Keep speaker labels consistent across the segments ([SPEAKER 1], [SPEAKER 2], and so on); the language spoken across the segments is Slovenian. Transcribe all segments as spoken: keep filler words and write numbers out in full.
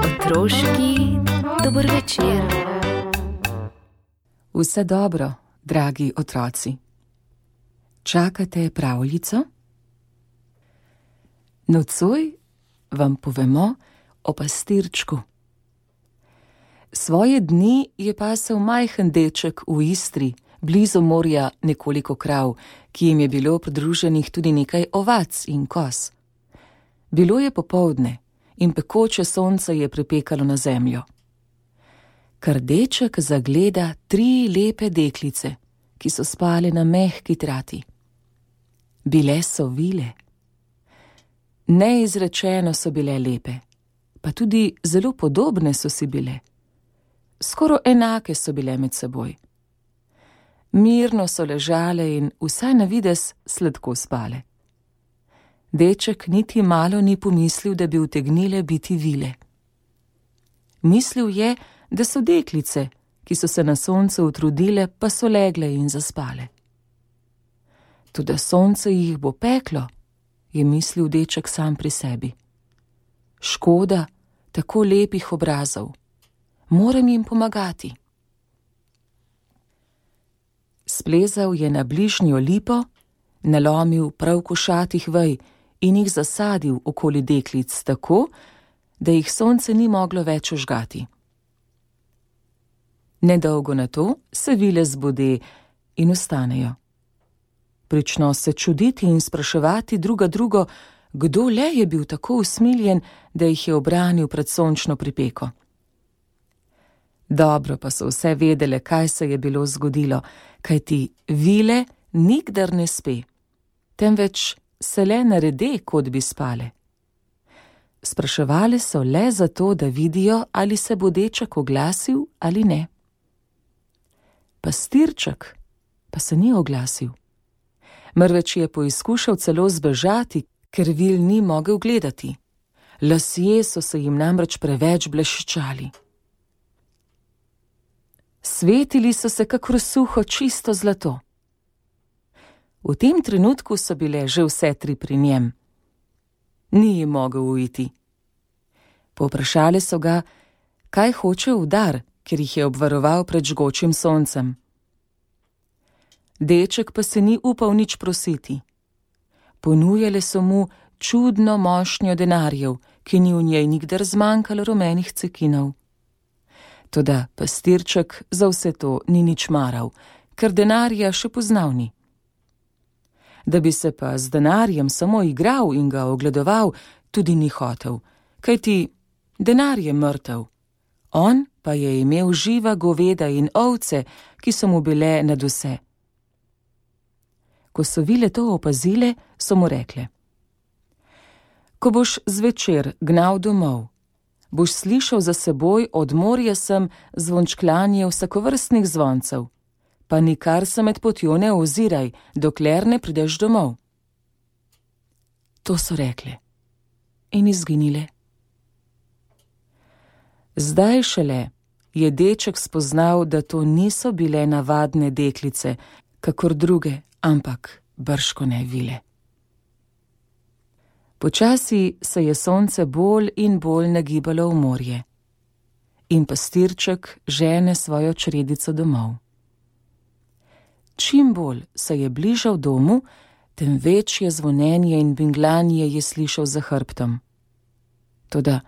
[SPEAKER 1] Otroški dober večer.
[SPEAKER 2] Vse dobro, dragi otroci. Čakate pravljico? Nocoj vam povemo o pastirčku. Svoje dni je pasel majhen deček v Istri, blizu morja nekoliko krav, ki jim je bilo pridruženih tudi nekaj ovac in koz. Bilo je popoldne in pekoče sonce je pripekalo na zemljo. Kar deček zagleda tri lepe deklice, ki so spale na mehki trati. Bile so vile. Neizrečeno so bile lepe, pa tudi zelo podobne so si bile. Skoro enake so bile med seboj. Mirno so ležale in vsaj na videz sladko spale. Deček niti malo ni pomislil, da bi utegnile biti vile. Mislil je, da so deklice, ki so se na soncu utrudile, pa so legle in zaspale. Toda sonce jih bo peklo, je mislil deček sam pri sebi. Škoda tako lepih obrazov. Moram jim pomagati. Splezal je na bližnjo lipo, nalomil prav košatih vej in jih zasadil okoli deklic tako, da jih sonce ni moglo več ožgati. Nedolgo na to se vile zbode in vstanejo. Prično se čuditi in spraševati druga drugo, kdo le je bil tako usmiljen, da jih je obranil pred sončno pripeko. Dobro pa so vse vedele, kaj se je bilo zgodilo, kajti vile nikdar ne spe, temveč se le narede, kot bi spale. Spraševali so le zato, da vidijo, ali se bo deček oglasil ali ne. Pastirček pa se ni oglasil. Mrveč je poizkušal celo zbežati, ker vil ni mogel gledati. Lasje so se jim namreč preveč bleščali. Svetili so se kakor suho čisto zlato. V tem trenutku so bile že vse tri pri njem. Ni jim mogel uiti. Povprašali so ga, kaj hoče v dar, ker jih je obvaroval pred žgočim soncem. Deček pa se ni upal nič prositi. Ponujale so mu čudno mošnjo denarjev, ki ni v njej nikdar zmanjkalo rumenih cekinov. Toda pastirček za vse to ni nič maral, ker denarja še poznal ni. Da bi se pa z denarjem samo igral in ga ogledoval, tudi ni hotel, kajti denar je mrtev. On pa je imel živa goveda in ovce, ki so mu bile nadvse. Ko so vile to opazile, so mu rekle: Ko boš zvečer gnal domov, boš slišal za seboj od morja sem zvončklanje vsakovrstnih zvoncev, pa nikar se med potjo ne oziraj, dokler ne prideš domov. To so rekle in izginile. Zdaj šele je deček spoznal, da to niso bile navadne deklice, kakor druge, ampak bržkone vile. Počasi se je sonce bolj in bolj nagibalo v morje in pastirček žene svojo čredico domov. Čim bolj se je bližal domu, tem večje zvonenje in binglanje je slišal za hrbtom. Toda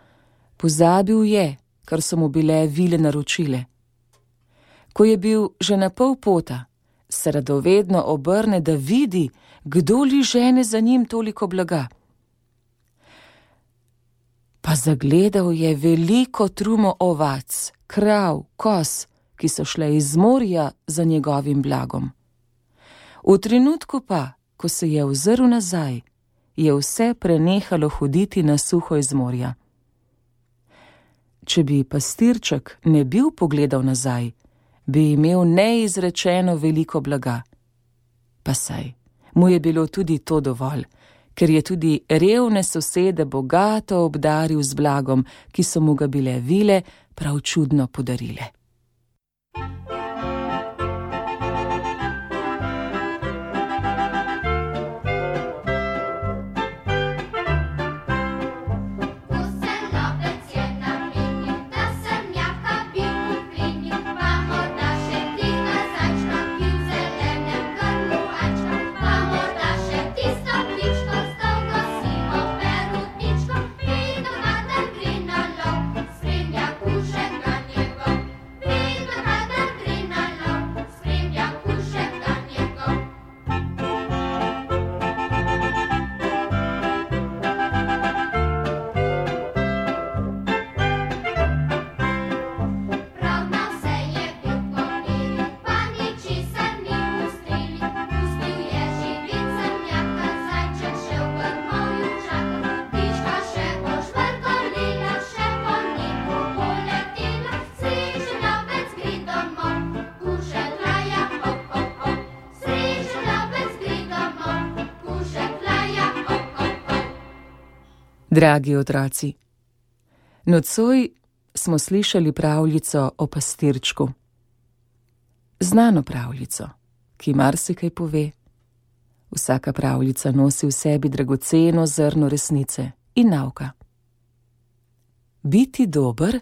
[SPEAKER 2] pozabil je, kar so mu bile vile naročile. Ko je bil že na pol pota, se radovedno obrne, da vidi, kdo li žene za njim toliko blaga. Pa zagledal je veliko trumo ovac, krav, koz, ki so šle iz morja za njegovim blagom. V trenutku pa, ko se je ozrl nazaj, je vse prenehalo hoditi na suho iz morja. Če bi pastirček ne bil pogledal nazaj, bi imel neizrečeno veliko blaga. Pa saj, mu je bilo tudi to dovolj, ker je tudi revne sosede bogato obdaril z blagom, ki so mu ga bile vile prav čudno podarile. Dragi otroci, nocoj smo slišali pravljico o pastirčku. Znano pravljico, ki marsikaj pove. Vsaka pravljica nosi v sebi dragoceno zrno resnice in nauka. Biti dober,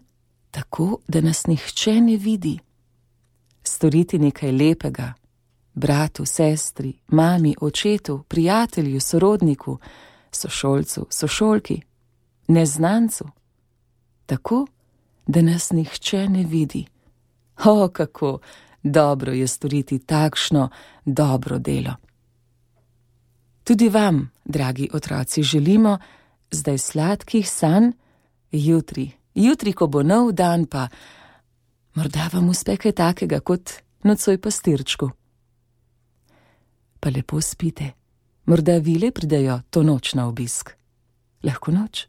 [SPEAKER 2] tako da nas nihče ne vidi. Storiti nekaj lepega, bratu, sestri, mami, očetu, prijatelju, sorodniku, sošolcu, sošolki, neznancu, tako, da nas nihče ne vidi. O, kako dobro je storiti takšno dobro delo. Tudi vam, dragi otroci, želimo zdaj sladkih sanj, jutri, jutri, ko bo nov dan, pa morda vam uspe kaj takega kot nocoj pastirčku. Pa lepo spite, morda vile pridejo to noč na obisk. Lahko noč.